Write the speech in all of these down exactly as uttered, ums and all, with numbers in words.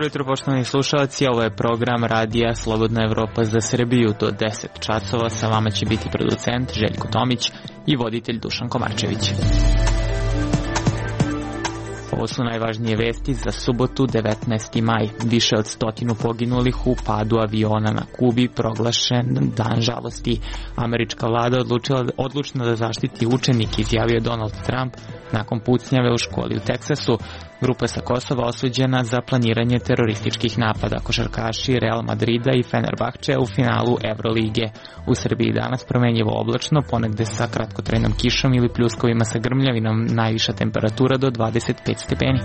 Dobro jutro, poštovani slušalci, ovo je program Radija Slobodna Evropa za Srbiju. Do deset časova sa vama će biti producent Željko Tomić i voditelj Dušan Komarčević. Ovo su najvažnije vesti za subotu devetnaesti maj. Više od stotinu poginulih u padu aviona na Kubi, proglašen dan žalosti. Američka vlada odlučila odlučna da zaštiti učenike, izjavio Donald Trump nakon pucnjave u školi u Teksasu. Grupa sa Kosova osuđena za planiranje terorističkih napada. Košarkaši Real Madrida i Fenerbahče u finalu Evrolige. U Srbiji danas promenljivo oblačno, ponegde sa kratkotrajnom kišom ili pljuskovima sa grmljavinom, najviša temperatura do dvadeset pet stepeni.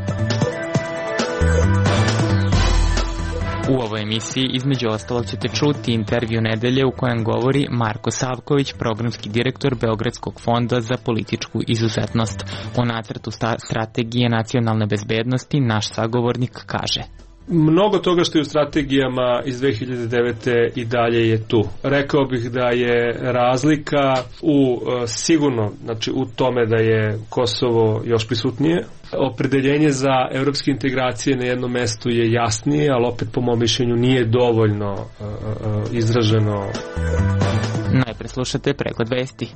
U ovoj emisiji između ostalog ćete čuti intervju nedelje u kojem govori Marko Savković, programski direktor Beogradskog fonda za političku izuzetnost. O nacrtu strategije nacionalne bezbednosti naš sagovornik kaže: Mnogo toga što je u strategijama iz dve hiljade devete i dalje je tu. Rekao bih da je razlika u sigurno, znači u tome da je Kosovo još prisutnije. Opredeljenje za evropske integracije na jednom mestu je jasnije, ali opet po mom mišljenju nije dovoljno uh, uh, izraženo. Najpre slušate pregled vesti.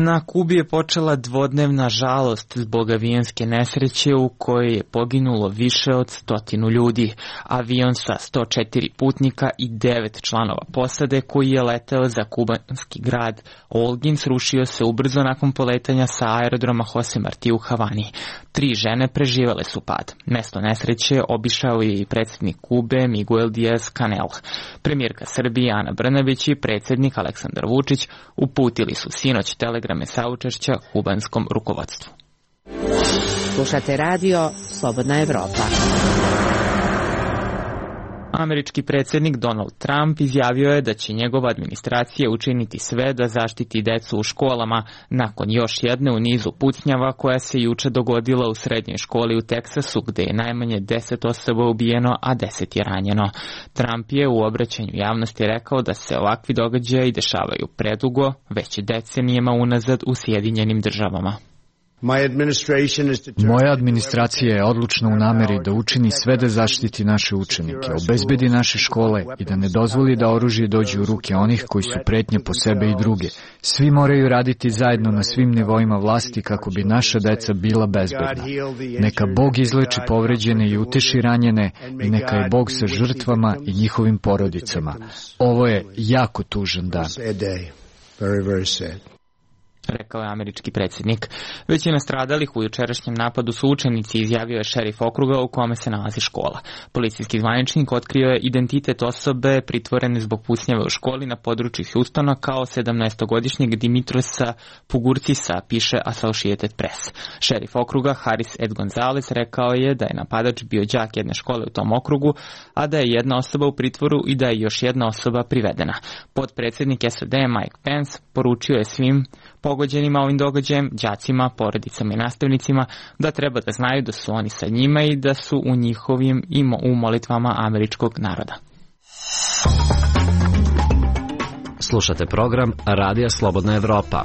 Na Kubi je počela dvodnevna žalost zbog avionske nesreće u kojoj je poginulo više od stotinu ljudi. Avion sa sto četiri putnika i devet članova posade koji je leteo za kubanski grad Holguin srušio se ubrzo nakon poletanja sa aerodroma Jose Marti u Havani. Tri žene preživele su pad. Mesto nesreće obišao je i predsjednik Kube Miguel Diaz-Canel. Premijerka Srbije Ana Brnabić i predsjednik Aleksandar Vučić uputili su sinoć telegrame saučešća kubanskom rukovodstvu. Slušate radio Slobodna Evropa. Američki predsjednik Donald Trump izjavio je da će njegova administracija učiniti sve da zaštiti decu u školama nakon još jedne u nizu pucnjava koja se juče dogodila u srednjoj školi u Teksasu, gde je najmanje deset osoba ubijeno, a deset je ranjeno. Trump je u obraćanju javnosti rekao da se ovakvi događaji dešavaju predugo, već decenijama unazad u Sjedinjenim državama. Moja administracija je odlučna u nameri da učini sve da zaštiti naše učenike, obezbedi naše škole i da ne dozvoli da oružje dođe u ruke onih koji su pretnje po sebe i druge. Svi moraju raditi zajedno na svim nivoima vlasti kako bi naša deca bila bezbedna. Neka Bog izleči povređene i uteši ranjene i neka je Bog sa žrtvama i njihovim porodicama. Ovo je jako tužan dan. Rekao je američki predsjednik. Većina stradalih u jučerašnjem napadu su učenici, izjavio je šerif okruga u kome se nalazi škola. Policijski zvaničnik otkrio je identitet osobe pritvorene zbog pucnjave u školi na području Houstona kao sedamnaestogodišnjeg Dimitrosa Pugurcisa, piše Associated Press. Šerif okruga Haris Ed Gonzalez rekao je da je napadač bio đak jedne škole u tom okrugu, a da je jedna osoba u pritvoru i da je još jedna osoba privedena. Potpredsjednik S A D Mike Pence poručio je svim pogođenima ovim događajem, đacima, porodicama i nastavnicima, da treba da znaju da su oni sa njima i da su u njihovim i u molitvama američkog naroda. Slušate program Radija Slobodna Evropa.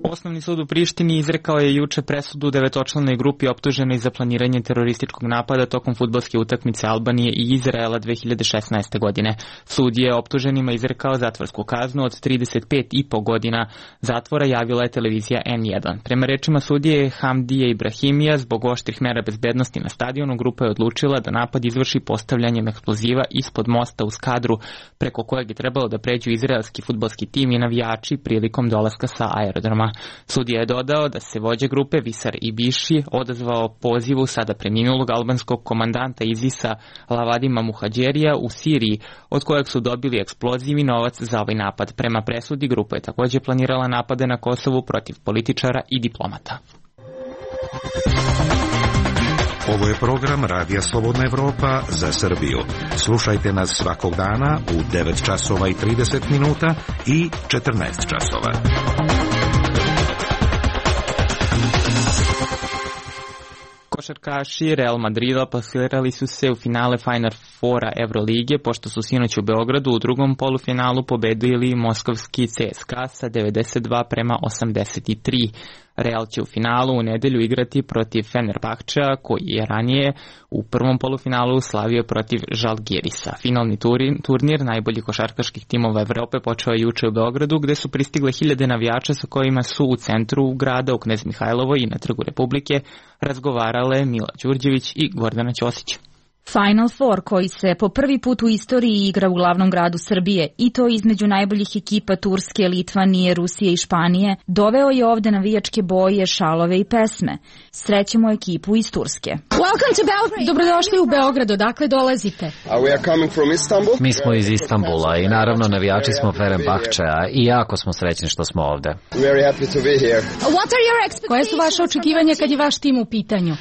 Osnovni sud u Prištini izrekao je juče presudu devetočlanoj grupi optuženoj za planiranje terorističkog napada tokom fudbalske utakmice Albanije i Izraela dve hiljade šesnaeste. godine. Sud je optuženima izrekao zatvorsku kaznu od trideset pet i po godina zatvora, javila je televizija N jedan. Prema rečima sudije Hamdije Ibrahimija, zbog oštrih mera bezbednosti na stadionu, grupa je odlučila da napad izvrši postavljanjem eksploziva ispod mosta u Skadru, preko kojeg je trebalo da pređu izraelski fudbalski tim i navijači prilikom dolaska sa aerodroma. Sudija je dodao da se vođa grupe Visar Ibiši odazvao pozivu sada preminulog albanskog komandanta ISIS-a Lavadima Muhađerija u Siriji, od kojeg su dobili eksploziv novac za ovaj napad. Prema presudi, grupa je također planirala napade na Kosovu protiv političara i diplomata. Ovo je program Radija Slobodna Evropa za Srbiju. Slušajte nas svakog dana u devet časova i trideset minuta i četrnaest časova. Košarkaši Real Madrida plasirali su se u finale Final Foura Evrolige, pošto su sinoć u Beogradu u drugom polufinalu pobedili moskovski C S K A sa devedeset dva prema osamdeset tri. Real će u finalu u nedelju igrati protiv Fenerbahčea, koji je ranije u prvom polufinalu slavio protiv Žalgirisa. Finalni turnir najboljih košarkaških timova Evrope počeo je juče u Beogradu, gde su pristigle hiljade navijača sa kojima su u centru grada, u Knez Mihajlovoj i na Trgu Republike razgovarale Mila Đurđević i Gordana Ćosić. Final Four, koji se po prvi put u istoriji igra u glavnom gradu Srbije, i to između najboljih ekipa Turske, Litvanije, Rusije i Španije, doveo je ovde navijačke boje, šalove i pesme. Srećemo ekipu iz Turske. Dobrodošli u Beograd, odakle dolazite? Mi smo iz Istanbula i naravno navijači smo Fenerbahčea i jako smo srećni što smo ovde. Koje su vaše očekivanja kad je vaš tim u pitanju?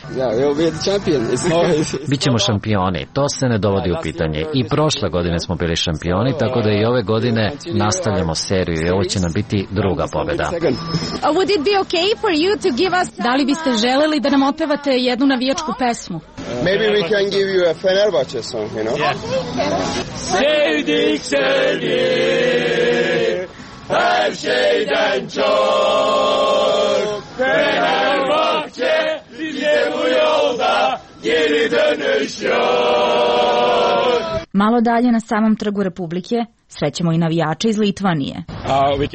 Bićemo šampioni. To se ne dovodi u pitanje. I prošle godine smo bili šampioni, tako da i ove godine nastavljamo seriju i ovo će nam biti druga pobeda. Da li biste želeli da nam otpevate jednu navijačku pesmu? Maybe we can give you a Fenerbahce song, you know? Yeah. Sevdik seni her şeyden çok Fenerbahçe bize bu yolda geri dönüş yok. Malo dalje na samom Trgu Republike srećemo i navijače iz Litvanije.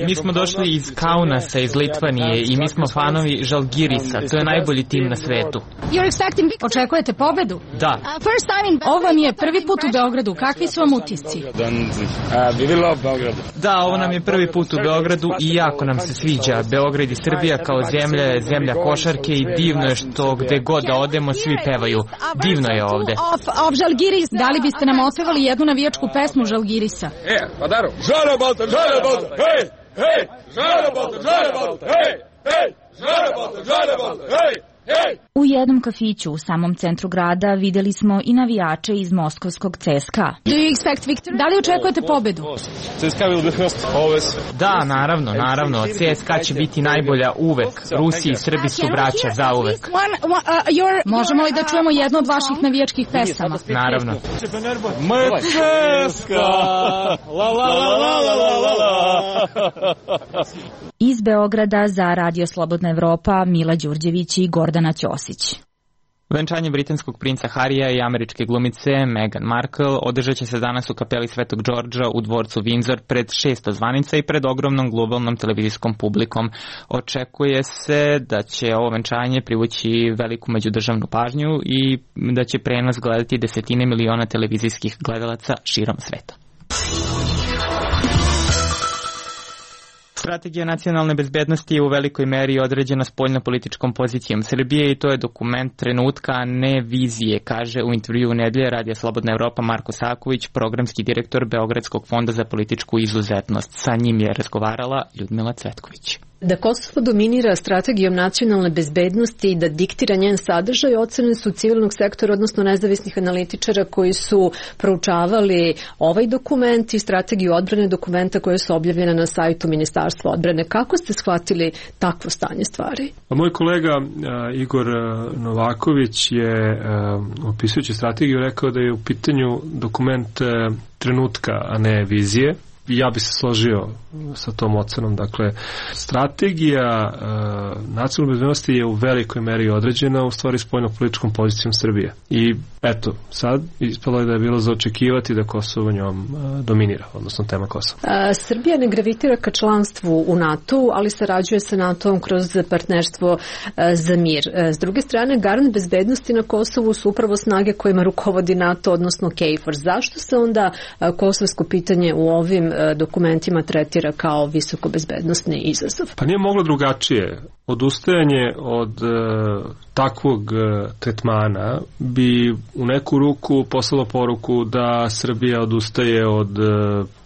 Mi smo došli iz Kaunasa, iz Litvanije, i mi smo fanovi Žalgirisa. To je najbolji tim na svetu. Očekujete pobedu? Da. Ovo vam je prvi put u Beogradu. Kakvi su vam utisci? Da, ovo nam je prvi put u Beogradu i jako nam se sviđa. Beograd i Srbija kao zemlja je zemlja košarke i divno je što gde god da odemo svi pevaju. Divno je ovde. Da li biste nam otpevali jednu navijačku pesmu Žalgirisa? Pa daru, Žarabalta, Žarabalta, hej, hej, Žarabalta, Žarabalta, hej, hej, Žarabalta, Žarabalta, hej, hej. U jednom kafiću u samom centru grada videli smo i navijače iz moskovskog C S K A. Da li očekujete pobedu? Da, naravno, naravno. C S K A će biti najbolja uvek. Rusi i Srbi su braća za uvek. Možemo li da čujemo jednu od vaših navijačkih pesama? Naravno. M C S K A, la la la la la la la. Iz Beograda za Radio Slobodna Evropa Mila Đurđević i Gordana Ćosić. Venčanje britanskog princa Harija i američke glumice Meghan Markle održat će se danas u kapeli Svetog Đorđa u dvorcu Windsor pred šesto zvanica i pred ogromnom globalnom televizijskom publikom. Očekuje se da će ovo venčanje privući veliku međudržavnu pažnju i da će prenos gledati desetine miliona televizijskih gledalaca širom sveta. Strategija nacionalne bezbednosti je u velikoj meri određena spoljno-političkom pozicijom Srbije i to je dokument trenutka, a ne vizije, kaže u intervjuu nedelje Radija Slobodna Evropa Marko Saković, programski direktor Beogradskog fonda za političku izuzetnost. Sa njim je razgovarala Ljudmila Cvetković. Da Kosovo dominira strategijom nacionalne bezbednosti i da diktira njen sadržaj, ocene su civilnog sektora, odnosno nezavisnih analitičara koji su proučavali ovaj dokument i strategiju odbrane dokumenta koje su objavljene na sajtu Ministarstva odbrane. Kako ste shvatili takvo stanje stvari? Moj kolega uh, Igor Novaković je uh, opisujući strategiju rekao da je u pitanju dokument uh, trenutka, a ne vizije. Ja bi se složio sa tom ocenom. Dakle, strategija e, nacionalne bezbednosti je u velikoj meri određena u stvari spoljno-političkom pozicijom Srbije. I eto, sad ispalo je da je bilo za očekivati da Kosovo njom e, dominira, odnosno tema Kosova. A, Srbija ne gravitira ka članstvu u NATO, ali sarađuje sa NATO-om kroz partnerstvo e, za mir. E, s druge strane, garant bezbednosti na Kosovu su upravo snage kojima rukovodi NATO, odnosno KFOR. Zašto se onda e, kosovsko pitanje u ovim dokumentima tretira kao visoko bezbednosni izazov? Pa nije moglo drugačije. Odustajanje od e, takvog e, tretmana bi u neku ruku poslalo poruku da Srbija odustaje od e,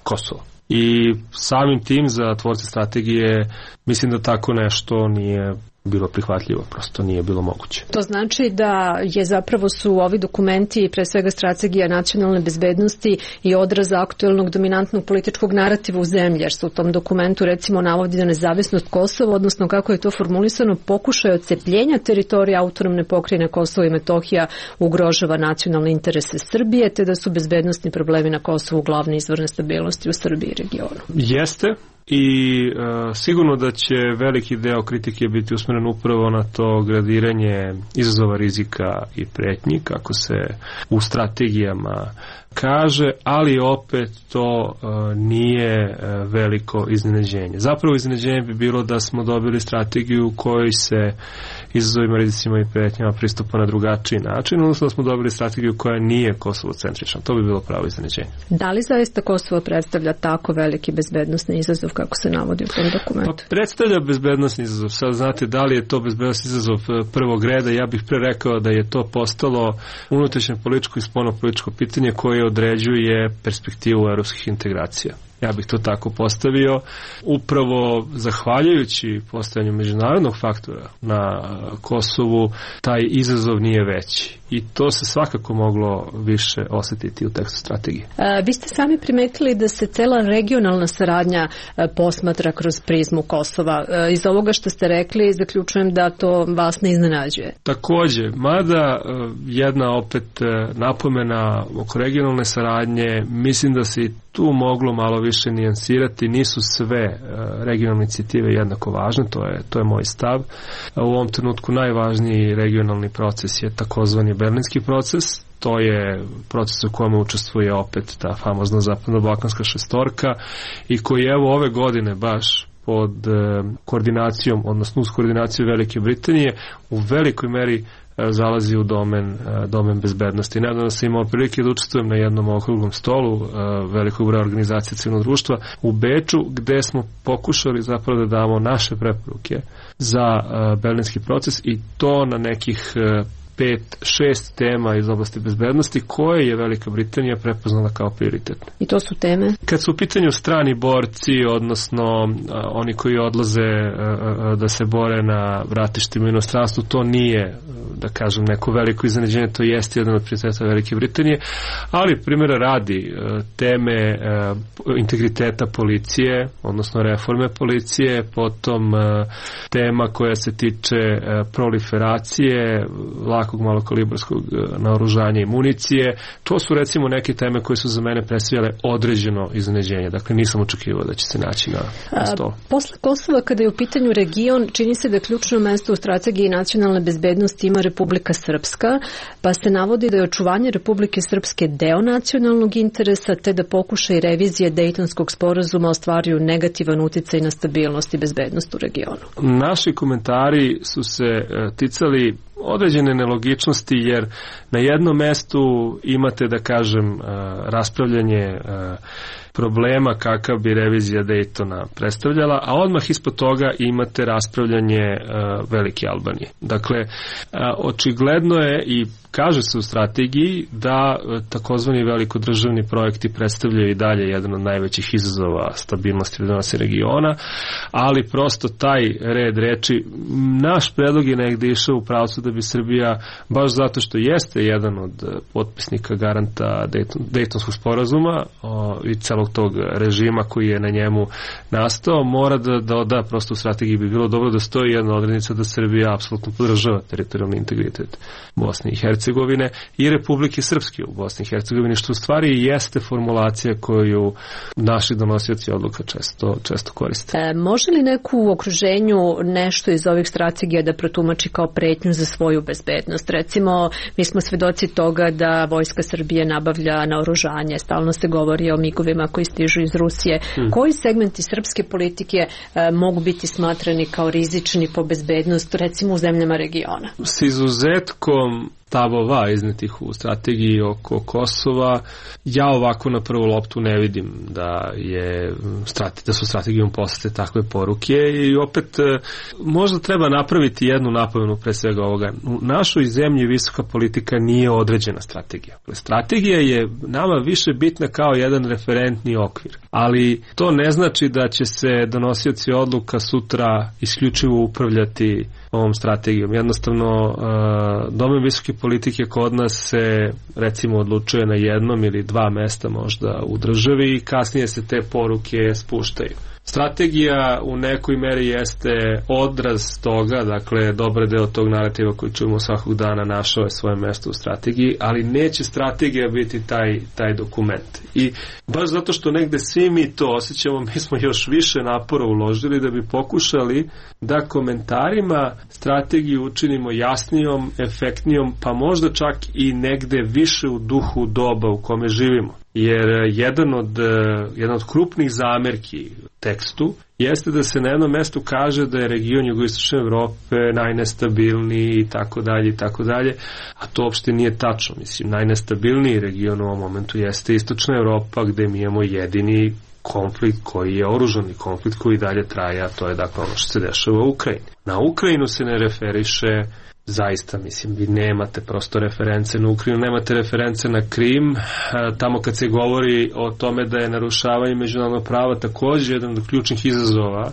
Kosova. I samim tim za tvorce strategije mislim da tako nešto nije bilo prihvatljivo, prosto nije bilo moguće. To znači da je zapravo su ovi dokumenti, pre svega strategija nacionalne bezbednosti i odraz aktuelnog dominantnog političkog narativa u zemlji, jer se u tom dokumentu recimo navodi da nezavisnost Kosova, odnosno kako je to formulisano, pokušaj odcepljenja teritorija autonomne pokrajine Kosovo i Metohija ugrožava nacionalne interese Srbije, te da su bezbednosni problemi na Kosovu glavni izvor nestabilnosti u Srbiji i regionu. Jeste, i e, sigurno da će veliki deo kritike biti usmeren upravo na to gradiranje izazova, rizika i pretnji, kako se u strategijama kaže, ali opet to e, nije e, veliko iznenađenje. Zapravo iznenađenje bi bilo da smo dobili strategiju u kojoj se izazovima, rizicima i pretnjama pristupa na drugačiji način, odnosno da smo dobili strategiju koja nije Kosovo-centrična. To bi bilo pravo iznenađenje. Da li zaista Kosovo predstavlja tako veliki bezbednosni izazov kako se navodi u tom dokumentu? Pa predstavlja bezbednosni izazov. Sad znate da li je to bezbednosni izazov prvog reda. Ja bih pre rekao da je to postalo unutrašnje političko i spoljno političko pitanje koje određuje perspektivu evropskih integracija. Ja bih to tako postavio. Upravo zahvaljujući postojanju međunarodnog faktora na Kosovu, taj izazov nije veći. I to se svakako moglo više osetiti u tekstu strategije. A, vi ste sami primetili da se cela regionalna saradnja a, posmatra kroz prizmu Kosova. A, iz ovoga što ste rekli, zaključujem da to vas ne iznenađuje. Takođe, mada a, jedna opet a, napomena oko regionalne saradnje, mislim da se i tu moglo malo više nijansirati. Nisu sve a, regionalne inicijative jednako važne, to je, to je moj stav. A, u ovom trenutku najvažniji regionalni proces je takozvani Berlinski proces. To je proces u kome učestvuje opet ta famozna zapadno-balkanska šestorka i koji evo ove godine baš pod e, koordinacijom, odnosno uz koordinaciju Velike Britanije u velikoj meri e, zalazi u domen, e, domen bezbednosti. Nedavno sam imao prilike da učestvujem na jednom okruglom stolu e, velikog broja organizacije civilnog društva u Beču, gde smo pokušali zapravo da damo naše preporuke za e, Berlinski proces i to na nekih e, pet, šest tema iz oblasti bezbednosti koje je Velika Britanija prepoznala kao prioritetne. I to su teme? Kad su u pitanju strani borci, odnosno a, oni koji odlaze a, a, da se bore na ratištima u inostranstvu, to nije, da kažem, neko veliko iznenađenje, to jeste jedan od prioriteta Velike Britanije, ali primjera radi a, teme a, integriteta policije, odnosno reforme policije, potom a, tema koja se tiče a, proliferacije, lakog malokalibarskog naoružanja i municije. To su recimo neke teme koje su za mene predstavljale određeno iznenađenje. Dakle, nisam očekivao da će se naći na, na stolu. Posle Kosova, kada je u pitanju region, čini se da ključno mesto u strategiji nacionalne bezbednosti ima Republika Srpska, pa se navodi da je očuvanje Republike Srpske deo nacionalnog interesa, te da pokušaj revizije Dejtonskog sporazuma ostvaruju negativan uticaj na stabilnost i bezbednost u regionu. Naši komentari su se ticali određene nelogičnosti, jer na jednom mestu imate, da kažem, raspravljanje problema kakav bi revizija Dejtona predstavljala, a odmah ispod toga imate raspravljanje Velike Albanije. Dakle, očigledno je i kaže se u strategiji da takozvani velikodržavni projekti predstavljaju i dalje jedan od najvećih izazova stabilnosti i regiona, ali prosto taj red reči, naš predlog je negde išao u pravcu da bi Srbija, baš zato što jeste jedan od potpisnika garanta Dejton, Dejtonskog sporazuma o, i celog tog režima koji je na njemu nastao, mora da doda, prosto u strategiji bi bilo dobro da stoji jedna odrednica da Srbija apsolutno podržava teritorijalni integritet Bosne i Hercegovine i Republike Srpske u Bosni i Hercegovini, što u stvari jeste formulacija koju naši donosioci odluka često, često koriste. E, može li neko u okruženju nešto iz ovih strategija da protumači kao pretnju za svoju bezbednost? Recimo, mi smo svedoci toga da Vojska Srbije nabavlja naoružanje, stalno se govori o migovima koji stižu iz Rusije. Hmm. Koji segmenti srpske politike e, mogu biti smatrani kao rizični po bezbednost, recimo u zemljama regiona? S izuzetkom stavova iznetih u strategiji oko Kosova, ja ovako na prvu loptu ne vidim da je da su strategijom poslate takve poruke i opet možda treba napraviti jednu napomenu pre svega ovoga. U našoj zemlji visoka politika nije određena strategija. Strategija je nama više bitna kao jedan referentni okvir, ali to ne znači da će se donosioci odluka sutra isključivo upravljati ovom strategijom. Jednostavno, domen visoke politike kod nas se recimo odlučuje na jednom ili dva mesta možda u državi i kasnije se te poruke spuštaju. Strategija u nekoj meri jeste odraz toga, dakle dobar deo tog narativa koji čujemo svakog dana našao je svoje mesto u strategiji, ali neće strategija biti taj, taj dokument. I baš zato što negde svi mi to osjećamo, mi smo još više napora uložili da bi pokušali da komentarima strategiju učinimo jasnijom, efektnijom, pa možda čak i negde više u duhu doba u kome živimo. Jer jedan od, jedan od krupnih zamerki tekstu jeste da se na jednom mestu kaže da je region jugoistočne Evrope najnestabilniji i tako dalje i tako dalje, a to uopšte nije tačno. Mislim, najnestabilniji region u ovom momentu jeste istočna Evropa, gde mi imamo jedini konflikt koji je oružani konflikt koji dalje traje, a to je dakle ono što se dešava u Ukrajini. Na Ukrajinu se ne referiše zaista, mislim, vi nemate prosto reference na Ukrajinu, nemate reference na Krim, tamo kad se govori o tome da je narušavanje međunarodnog prava također jedan od ključnih izazova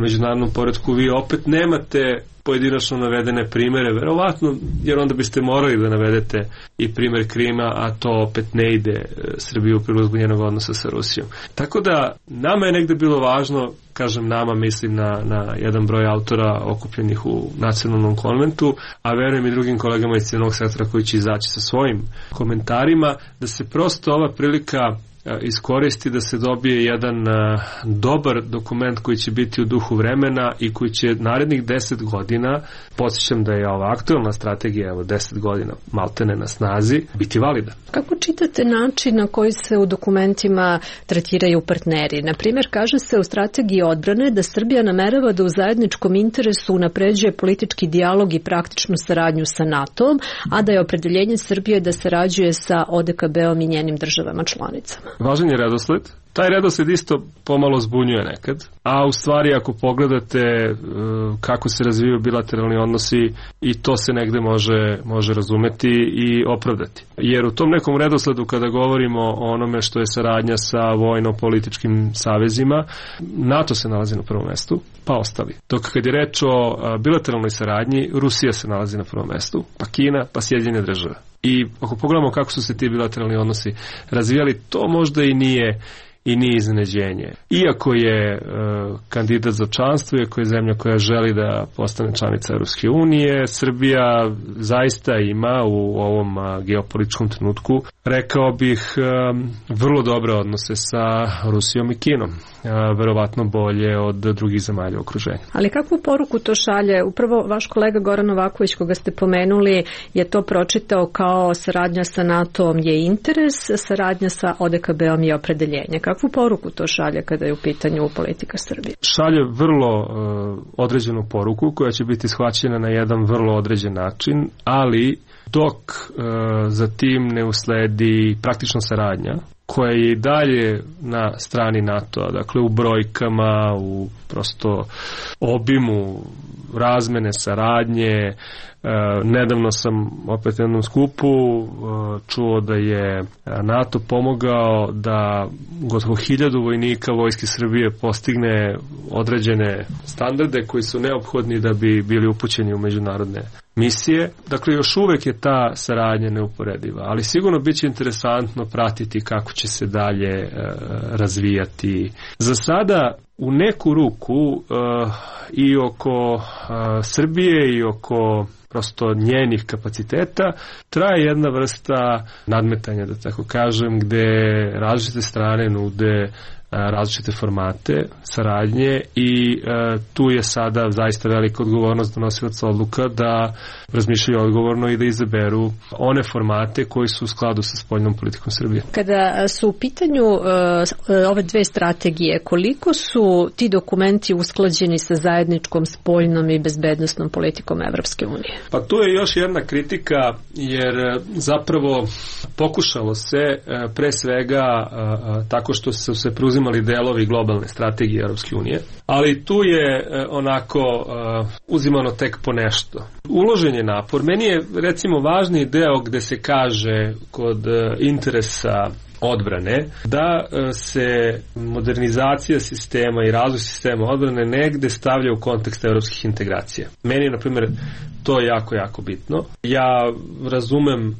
međunarodnom poretku, vi opet nemate pojedinačno navedene primere, verovatno, jer onda biste morali da navedete i primer Krima, a to opet ne ide Srbiju u prilog zbog njenog odnosa sa Rusijom. Tako da, nama je negde bilo važno, kažem nama, mislim na, na jedan broj autora okupljenih u nacionalnom konventu, a verujem i drugim kolegama iz civilnog sektora koji će izaći sa svojim komentarima, da se prosto ova prilika iskoristi da se dobije jedan uh, dobar dokument koji će biti u duhu vremena i koji će narednih deset godina, podsjećam da je ova aktualna strategija evo deset godina maltene na snazi, biti valida. Kako čitate način na koji se u dokumentima tretiraju partneri? Na primjer, kaže se u strategiji odbrane da Srbija namerava da u zajedničkom interesu unapređuje politički dijalog i praktičnu saradnju sa NATO-om, a da je opredeljenje Srbije da sarađuje sa O D K B-om i njenim državama članicama. Važan je redosled. Taj redosled isto pomalo zbunjuje nekad, a u stvari ako pogledate uh, kako se razvijaju bilateralni odnosi, i to se negde može, može razumeti i opravdati. Jer u tom nekom redosledu kada govorimo o onome što je saradnja sa vojno-političkim savezima, NATO se nalazi na prvom mestu, pa ostali. Dok kad je reč o uh, bilateralnoj saradnji, Rusija se nalazi na prvom mestu, pa Kina, pa Sjedinjene Države. I ako pogledamo kako su se ti bilateralni odnosi razvijali, to možda i nije i nije iznenađenje. Iako je e, kandidat za članstvo, iako je zemlja koja želi da postane članica Europske unije, Srbija zaista ima u ovom a, geopolitičkom trenutku, rekao bih, a, vrlo dobre odnose sa Rusijom i Kinom. A, verovatno bolje od drugih zemalja u okruženju. Ali kakvu poruku to šalje? Upravo vaš kolega Goran Novaković, koga ste pomenuli, je to pročitao kao saradnja sa NATO-om je interes, saradnja sa O D K B-om je opredeljenje. Kakvu poruku to šalje kada je u pitanju politika Srbije? Šalje vrlo uh, određenu poruku koja će biti shvaćena na jedan vrlo određen način, ali dok uh, za tim ne usledi praktična saradnja, koja je i dalje na strani NATO-a, dakle u brojkama, u prosto obimu razmene, saradnje. E, nedavno sam opet na jednom skupu e, čuo da je NATO pomogao da gotovo hiljadu vojnika Vojske Srbije postigne određene standarde koji su neophodni da bi bili upućeni u međunarodne misije. Dakle, još uvek je ta saradnja neuporediva, ali sigurno bit će interesantno pratiti kako će se dalje e, razvijati. Za sada u neku ruku uh, i oko uh, Srbije i oko prosto njenih kapaciteta traje jedna vrsta nadmetanja, da tako kažem, gde različite strane nude različite formate saradnje i e, tu je sada zaista velika odgovornost donosilaca odluka da razmišljaju odgovorno i da izaberu one formate koji su u skladu sa spoljnom politikom Srbije. Kada su u pitanju e, ove dve strategije, koliko su ti dokumenti usklađeni sa zajedničkom spoljnom i bezbednosnom politikom Evropske unije? Pa tu je još jedna kritika, jer zapravo pokušalo se e, pre svega e, tako što su se preuzimali imali delovi globalne strategije Europske unije, ali tu je e, onako e, uzimano tek po nešto. Uložen je napor. Meni je recimo važniji deo gde se kaže kod e, interesa odbrane, da se modernizacija sistema i razvoj sistema odbrane negde stavlja u kontekst evropskih integracija. Meni je, na primjer, to jako, jako bitno. Ja razumem e,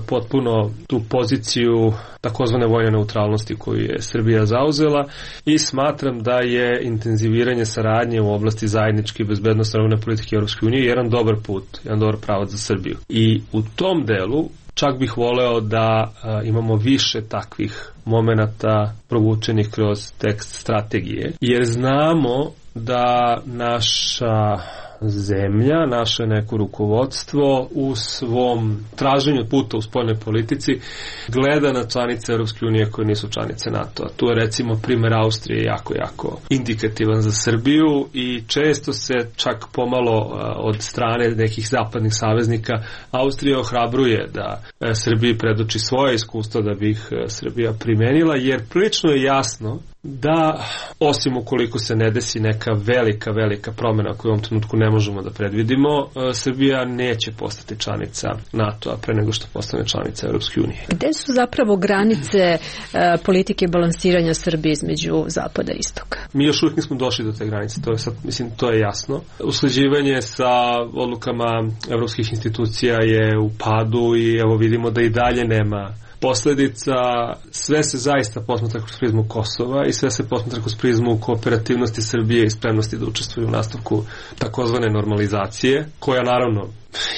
potpuno tu poziciju takozvane vojne neutralnosti koju je Srbija zauzela i smatram da je intenziviranje saradnje u oblasti zajedničke i bezbednosne odbrambene politike Evropske unije jedan dobar put, jedan dobar pravac za Srbiju. I u tom delu čak bih voleo da a, imamo više takvih momenata provučenih kroz tekst strategije, jer znamo da naša zemlja, naše neko rukovodstvo u svom traženju puta u spoljnoj politici gleda na članice Europske unije koje nisu članice NATO-a. Tu je recimo primjer Austrije jako, jako indikativan za Srbiju i često se čak pomalo od strane nekih zapadnih saveznika Austrija ohrabruje da Srbiji predoči svoje iskustva da bi ih Srbija primenila, jer prilično je jasno da, osim ukoliko se ne desi neka velika, velika promjena koju u ovom trenutku ne možemo da predvidimo, Srbija neće postati članica NATO-a pre nego što postane članica Europske unije. Gde su zapravo granice e, politike balansiranja Srbije između zapada i istoka? Mi još uvijek nismo došli do te granice, to je sad, mislim, to je jasno. Usklađivanje sa odlukama evropskih institucija je u padu i evo vidimo da i dalje nema posledica. Sve se zaista posmatra kroz prizmu Kosova i sve se posmatra kroz prizmu kooperativnosti Srbije i spremnosti da učestvuju u nastavku takozvane normalizacije, koja naravno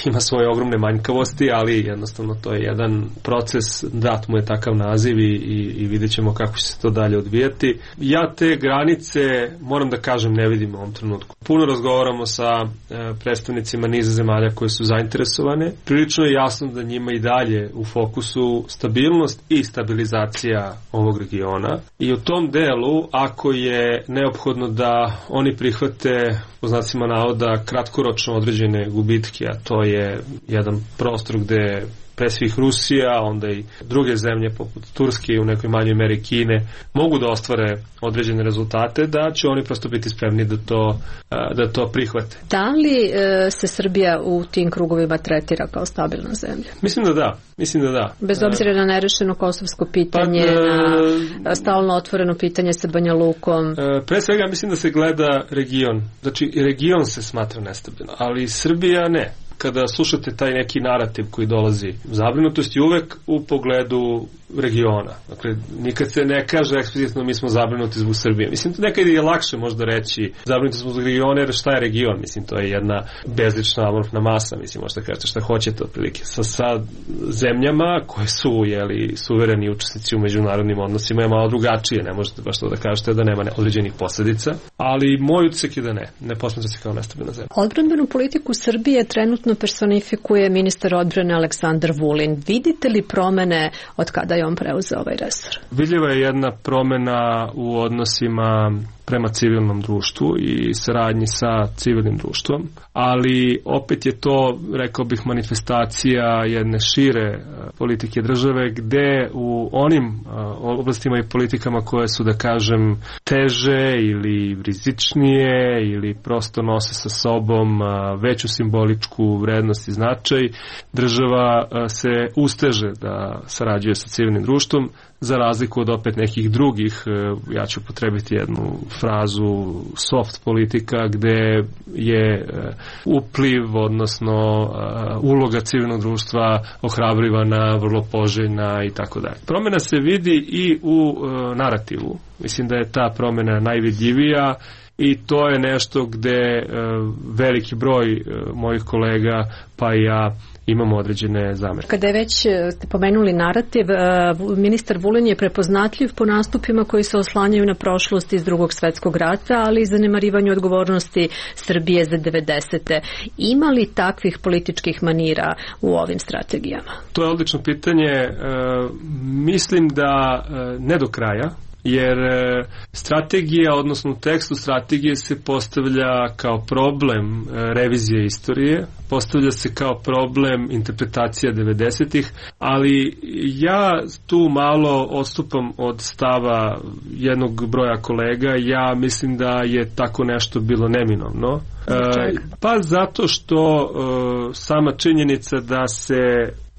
ima svoje ogromne manjkavosti, ali jednostavno to je jedan proces, dat mu je takav naziv i, i, i vidjet ćemo kako će se to dalje odvijati. Ja te granice, moram da kažem, ne vidim u ovom trenutku. Puno razgovaramo sa e, predstavnicima niza zemalja koje su zainteresovane. Prilično je jasno da njima i dalje u fokusu stabilnost i stabilizacija ovog regiona i u tom delu, ako je neophodno da oni prihvate po znacima navoda kratkoročno određene gubitke, a to je jedan prostor gde pre svih Rusija, onda i druge zemlje poput Turske i u nekoj manjoj meri Kine mogu da ostvare određene rezultate, da će oni prosto biti spremni da to, da to prihvate. Da li e, se Srbija u tim krugovima tretira kao stabilna zemlja? Mislim da da. Mislim da da. Bez obzira na nerešeno kosovsko pitanje, pa, na stalno otvoreno pitanje sa Banja Lukom. Pre svega mislim da se gleda region. Znači, region se smatra nestabilno, ali Srbija ne. Kada slušate taj neki narativ koji dolazi, zabrinutost je uvek u pogledu regiona. Dakle, nikad se ne kaže eksplicitno mi smo zabrinuti zbog Srbije. Mislim, nekad je lakše možda reći zabrinuti smo zbog regiona, jer šta je region? Mislim, to je jedna bezlična amorfna masa. Mislim, možda kažete šta hoćete otprilike. Sa, sa zemljama koje su, jeli, suvereni učesnici u međunarodnim odnosima je malo drugačije. Ne možete baš to da kažete da nema određenih posledica. Ali moj utisak je da ne. Ne posmatra se kao nestabilna zemlja. Odbrambenu politiku Srbije trenutno personifikuje ministar odbrane Aleksandar Vulin. Vidite li promene od kada je on preuzeo ovaj resor? Vidljiva je jedna promena u odnosima prema civilnom društvu i saradnji sa civilnim društvom, ali opet je to, rekao bih, manifestacija jedne šire politike države, gde u onim oblastima i politikama koje su, da kažem, teže ili rizičnije ili prosto nose sa sobom veću simboličku vrednost i značaj, država se usteže da sarađuje sa civilnim društvom, za razliku od opet nekih drugih, ja ću potrebiti jednu frazu, soft politika, gde je upliv, odnosno uloga civilnog društva ohrabrivana, vrlo poželjna i tako dalje. Promjena se vidi i u narativu. Mislim da je ta promjena najvidljivija i to je nešto gde veliki broj mojih kolega, pa i ja, imamo određene zamerke. Kada je već ste pomenuli narativ, ministar Vulin je prepoznatljiv po nastupima koji se oslanjaju na prošlost iz Drugog svetskog rata, ali i zanemarivanju odgovornosti Srbije za devedesete. Ima li takvih političkih manira u ovim strategijama? To je odlično pitanje. E, mislim da e, ne do kraja, jer strategija, odnosno u tekstu strategije se postavlja kao problem revizije istorije, postavlja se kao problem interpretacija devedesetih, ali ja tu malo odstupam od stava jednog broja kolega. Ja mislim da je tako nešto bilo neminovno. E, pa zato što e, sama činjenica da se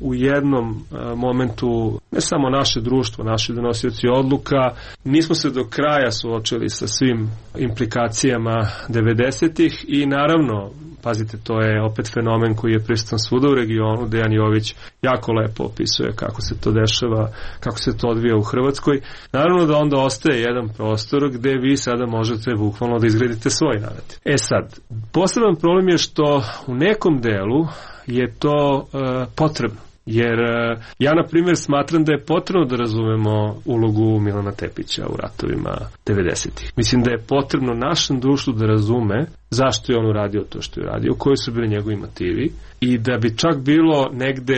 u jednom momentu ne samo naše društvo, naši donosioci odluka, nismo se do kraja suočili sa svim implikacijama devedesetih i naravno, pazite, to je opet fenomen koji je prisutan svuda u regionu. Dejan Jović jako lepo opisuje kako se to dešava, kako se to odvija u Hrvatskoj. Naravno da onda ostaje jedan prostor gde vi sada možete bukvalno da izgradite svoj narativ. E sad, poseban problem je što u nekom delu je to e, potrebno. Jer ja, na primjer, smatram da je potrebno da razumemo ulogu Milana Tepića u ratovima devedesetih. Mislim da je potrebno našem društvu da razume zašto je on uradio to što je uradio, koji su bili njegovi motivi i da bi čak bilo negde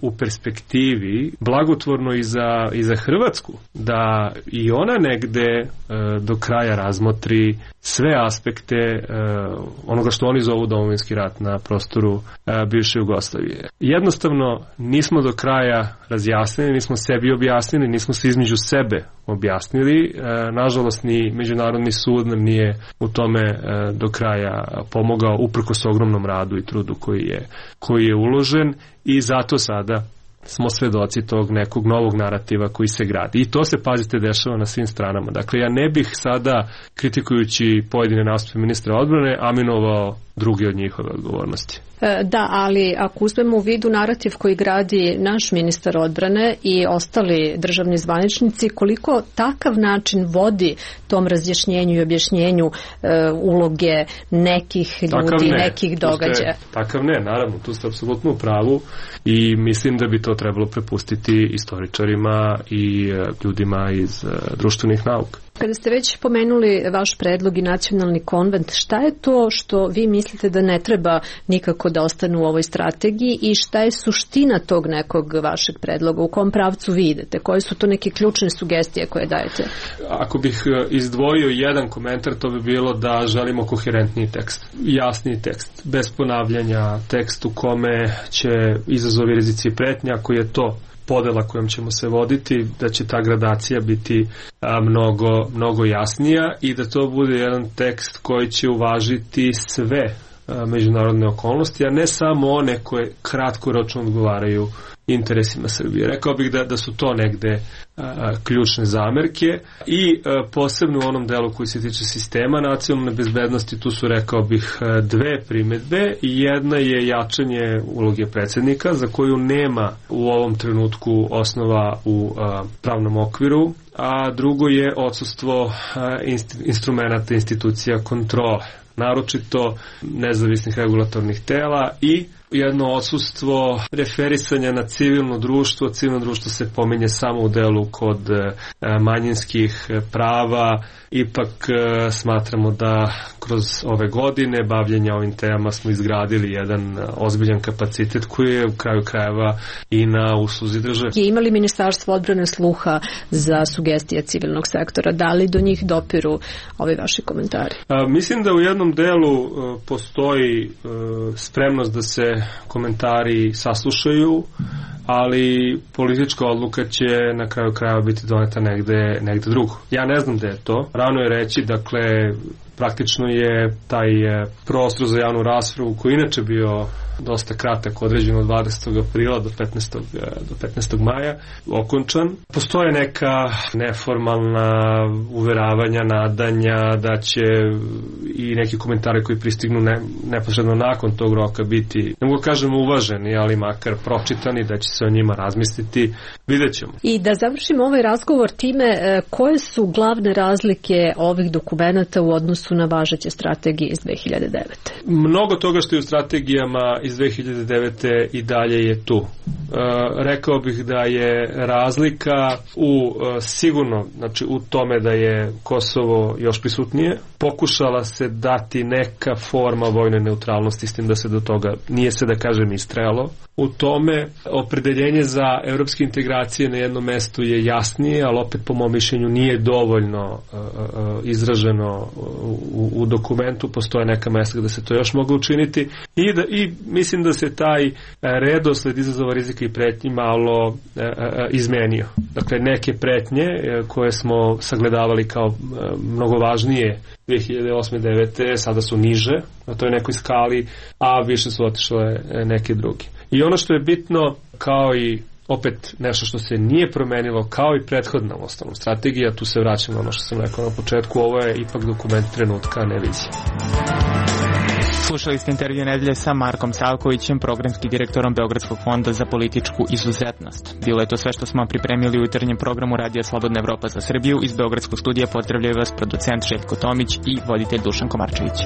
u perspektivi blagotvorno i za, i za Hrvatsku, da i ona negde do kraja razmotri sve aspekte onoga što oni zovu domovinski rat na prostoru bivše Jugoslavije. Jednostavno nismo do kraja razjasnili, nismo sebi objasnili, nismo se između sebe objasnili. Nažalost, ni Međunarodni sud nam nije u tome do kraja pomogao, uprkos ogromnom radu i trudu koji je, koji je uložen, i zato sada smo svedoci tog nekog novog narativa koji se gradi. I to se, pazite, dešava na svim stranama. Dakle, ja ne bih sada, kritikujući pojedine nastupe ministra odbrane, aminovao druge od njihove odgovornosti. Da, ali ako uzmemo u vidu narativ koji gradi naš ministar odbrane i ostali državni zvaničnici, koliko takav način vodi tom razjašnjenju i objašnjenju e, uloge nekih ljudi, ne, nekih događaja? Ste, takav ne, naravno, tu ste apsolutno u pravu i mislim da bi to trebalo prepustiti istoričarima i ljudima iz društvenih nauka. Kada ste već pomenuli vaš predlog i nacionalni konvent, šta je to što vi mislite da ne treba nikako da ostane u ovoj strategiji i šta je suština tog nekog vašeg predloga? U kom pravcu vi idete? Koje su to neke ključne sugestije koje dajete? Ako bih izdvojio jedan komentar, to bi bilo da želimo koherentniji tekst, jasniji tekst, bez ponavljanja, tekst u kome će izazovi, rizici i pretnje, ako je to podela kojom ćemo se voditi, da će ta gradacija biti a, mnogo, mnogo jasnija i da to bude jedan tekst koji će uvažiti sve a, međunarodne okolnosti, a ne samo one koje kratkoročno odgovaraju interesima Srbije. Rekao bih da, da su to negde a, ključne zamerke i a, posebno u onom delu koji se tiče sistema nacionalne bezbednosti, tu su, rekao bih, dve primedbe. Jedna je jačanje uloge predsjednika, za koju nema u ovom trenutku osnova u a, pravnom okviru, a drugo je odsustvo inst, instrumenta institucija kontrole, naročito nezavisnih regulatornih tela, i jedno odsustvo referisanja na civilno društvo. Civilno društvo se pominje samo u delu kod manjinskih prava. Ipak smatramo da kroz ove godine bavljenja ovim temama smo izgradili jedan ozbiljan kapacitet koji je u kraju krajeva i na usluzi države. Je imali Ministarstvo odbrane sluha za sugestije civilnog sektora? Da li do njih dopiru ovi vaši komentari? A, mislim da u jednom delu a, postoji a, spremnost da se komentari saslušaju, ali politička odluka će na kraju krajeva biti doneta negde, negde drugo. Ja ne znam da je to. Rano je reći, dakle, praktično je taj prostor za javnu raspravu, koji inače bio dosta kratak, određen od dvadesetog aprila do petnaestog do petnaestog maja, okončan. Postoje neka neformalna uveravanja, nadanja da će i neki komentari koji pristignu ne, neposredno nakon tog roka biti, ne mogu kažemo uvaženi, ali makar pročitani, da će se o njima razmisliti. Vidjet ćemo. I da završimo ovaj razgovor time, koje su glavne razlike ovih dokumenata u odnosu na važeće strategije iz dve hiljade devete? Mnogo toga što je u strategijama iz dve hiljade devete i dalje je tu. E, rekao bih da je razlika u e, sigurno, znači u tome da je Kosovo još prisutnije. Pokušala se dati neka forma vojne neutralnosti, s tim da se do toga nije se, da kažem, istrajalo. U tome opredeljenje za evropske integracije na jednom mestu je jasnije, ali opet po mom mišljenju nije dovoljno uh, uh, izraženo u, u dokumentu. Postoje neka mesta gde se to još moglo učiniti i, da, i mislim da se taj redosled izazova, rizika i pretnji malo uh, uh, izmenio. Dakle, neke pretnje uh, koje smo sagledavali kao uh, mnogo važnije dve hiljade osme devete sada su niže na toj nekoj skali, a više su otišle neke druge. I ono što je bitno, kao i opet nešto što se nije promenilo kao i prethodna uostalom strategija. Tu se vraćam na ono što sam rekao na početku, ovo je ipak dokument trenutka, ne vizija. Slušali ste intervju nedelje sa Markom Savkovićem, programskim direktorom Beogradskog fonda za političku izuzetnost. Bilo je to sve što smo pripremili u jutarnjem programu Radija Slobodna Evropa za Srbiju. Iz Beogradskog studija pozdravljaju vas producent Željko Tomić i voditelj Dušan Komarčević.